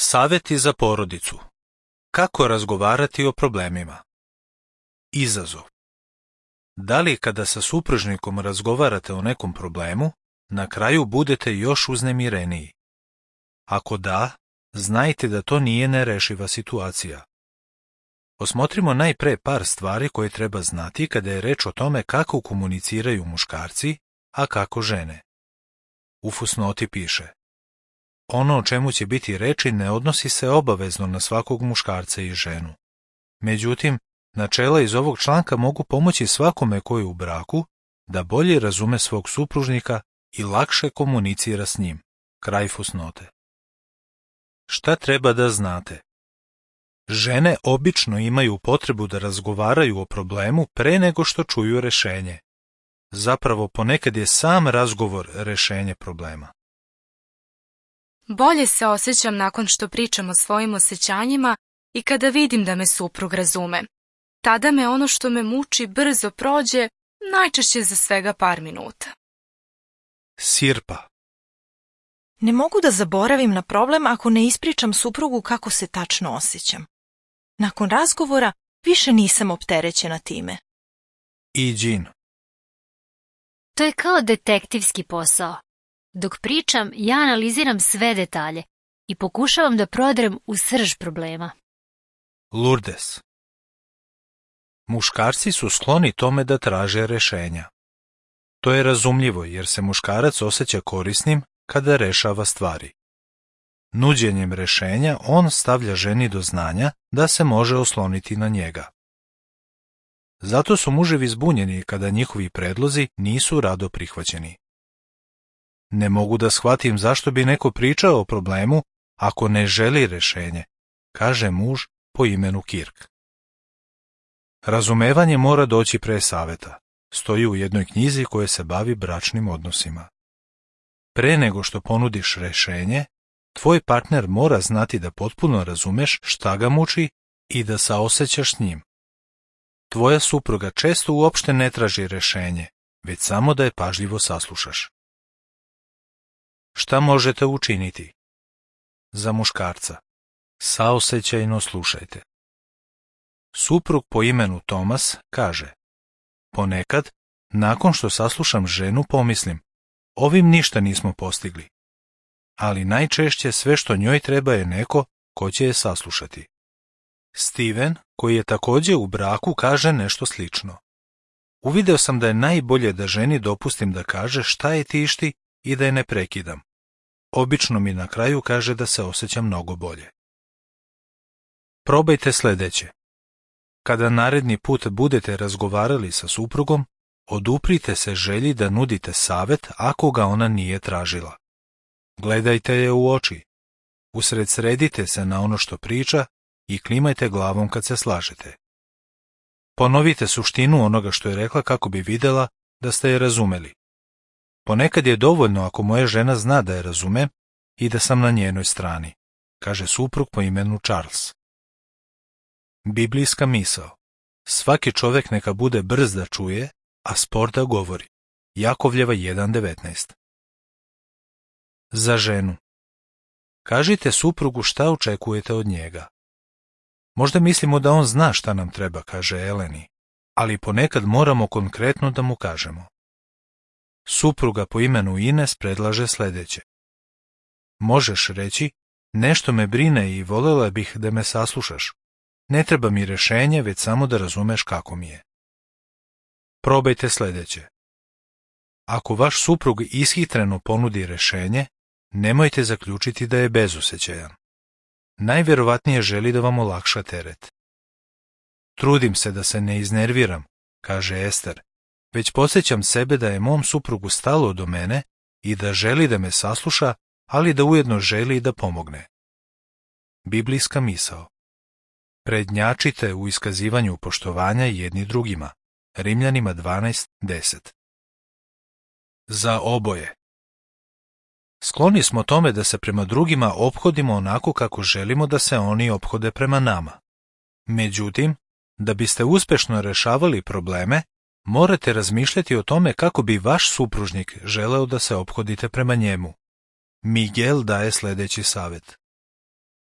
Savjeti za porodicu. Kako razgovarati o problemima? Izazov. Da li kada sa supružnikom razgovarate o nekom problemu, na kraju budete još uznemireniji? Ako da, znajte da to nije nerešiva situacija. Osmotrimo najpre par stvari koje treba znati kada je reč o tome kako komuniciraju muškarci, a kako žene. U fusnoti piše: ono o čemu će biti reči ne odnosi se obavezno na svakog muškarca i ženu. Međutim, načela iz ovog članka mogu pomoći svakome koji je u braku da bolje razume svog supružnika i lakše komunicira s njim. Kraj fusnote. Šta treba da znate? Žene obično imaju potrebu da razgovaraju o problemu pre nego što čuju rešenje. Zapravo, ponekad je sam razgovor rešenje problema. Bolje se osjećam nakon što pričam o svojim osjećanjima i kada vidim da me suprug razume. Tada me ono što me muči brzo prođe, najčešće za svega par minuta. Sirpa. Ne mogu da zaboravim na problem ako ne ispričam suprugu kako se tačno osjećam. Nakon razgovora više nisam opterećena time. Iđin. To je kao detektivski posao. Dok pričam, ja analiziram sve detalje i pokušavam da prodrem u srž problema. Lourdes. Muškarci su skloni tome da traže rešenja. To je razumljivo jer se muškarac osjeća korisnim kada rešava stvari. Nuđenjem rešenja on stavlja ženi do znanja da se može osloniti na njega. Zato su muževi zbunjeni kada njihovi predlozi nisu rado prihvaćeni. Ne mogu da shvatim zašto bi neko pričao o problemu ako ne želi rešenje, kaže muž po imenu Kirk. Razumevanje mora doći pre saveta. Stoji u jednoj knjizi koja se bavi bračnim odnosima. Pre nego što ponudiš rešenje, tvoj partner mora znati da potpuno razumeš šta ga muči i da saosećaš s njim. Tvoja supruga često uopšte ne traži rešenje, već samo da je pažljivo saslušaš. Šta možete učiniti? Za muškarca. Saosećajno slušajte. Suprug po imenu Tomas kaže: ponekad, nakon što saslušam ženu, pomislim, ovim ništa nismo postigli. Ali najčešće sve što njoj treba je neko ko će je saslušati. Steven, koji je također u braku, kaže nešto slično. Uvideo sam da je najbolje da ženi dopustim da kaže šta je tišti i da je ne prekidam. Obično mi na kraju kaže da se osjeća mnogo bolje. Probajte sljedeće. Kada naredni put budete razgovarali sa suprugom, oduprite se želji da nudite savjet ako ga ona nije tražila. Gledajte je u oči. Usredsredite se na ono što priča i klimajte glavom kad se slažete. Ponovite suštinu onoga što je rekla kako bi vidjela da ste je razumeli. Ponekad je dovoljno ako moja žena zna da je razumem i da sam na njenoj strani, kaže suprug po imenu Charles. Biblijska misao. Svaki čovjek neka bude brz da čuje, a spor da govori. Jakovljeva 1.19. Za ženu. Kažite suprugu šta očekujete od njega. Možda mislimo da on zna šta nam treba, kaže Eleni, ali ponekad moramo konkretno da mu kažemo. Supruga po imenu Ines predlaže sljedeće. Možeš reći, nešto me brine i voljela bih da me saslušaš. Ne treba mi rešenje, već samo da razumeš kako mi je. Probajte sljedeće. Ako vaš suprug ishitreno ponudi rešenje, nemojte zaključiti da je bezosećajan. Najvjerovatnije želi da vam olakša teret. Trudim se da se ne iznerviram, kaže Ester, već podsjećam sebe da je mom suprugu stalo do mene i da želi da me sasluša, ali da ujedno želi da pomogne. Biblijska misao. Prednjačite u iskazivanju poštovanja jedni drugima. Rimljanima 12.10. Za oboje. Skloni smo tome da se prema drugima ophodimo onako kako želimo da se oni ophode prema nama. Međutim, da biste uspešno rešavali probleme, morate razmišljati o tome kako bi vaš supružnik želeo da se ophodite prema njemu. Miguel daje sljedeći savjet.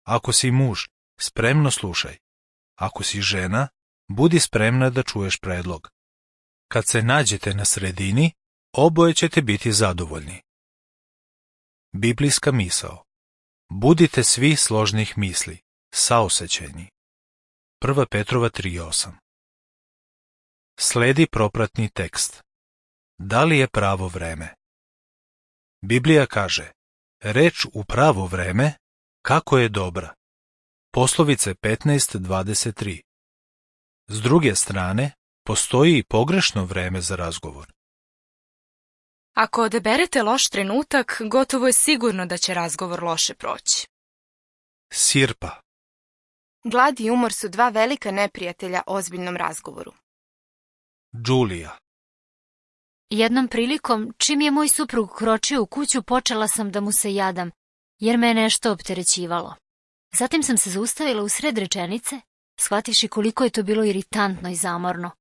Ako si muž, spremno slušaj. Ako si žena, budi spremna da čuješ predlog. Kad se nađete na sredini, oboje ćete biti zadovoljni. Biblijska misao. Budite svi složnih misli, saosećajni. 1. Petrova 3:8. Sledi propratni tekst. Da li je pravo vreme? Biblija kaže, reč u pravo vreme, kako je dobra. Poslovice 15:23. S druge strane, postoji i pogrešno vreme za razgovor. Ako odaberete loš trenutak, gotovo je sigurno da će razgovor loše proći. Sirpa. Glad i umor su dva velika neprijatelja ozbiljnom razgovoru. Đulija. Jednom prilikom, čim je moj suprug kročio u kuću, počela sam da mu se jadam, jer me je nešto opterećivalo. Zatim sam se zaustavila u sred rečenice, shvativši koliko je to bilo iritantno i zamorno.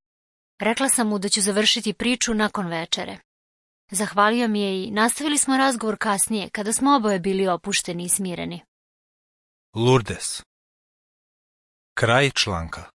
Rekla sam mu da ću završiti priču nakon večere. Zahvalio mi je i nastavili smo razgovor kasnije, kada smo oboje bili opušteni i smireni. Lourdes. Kraj članka.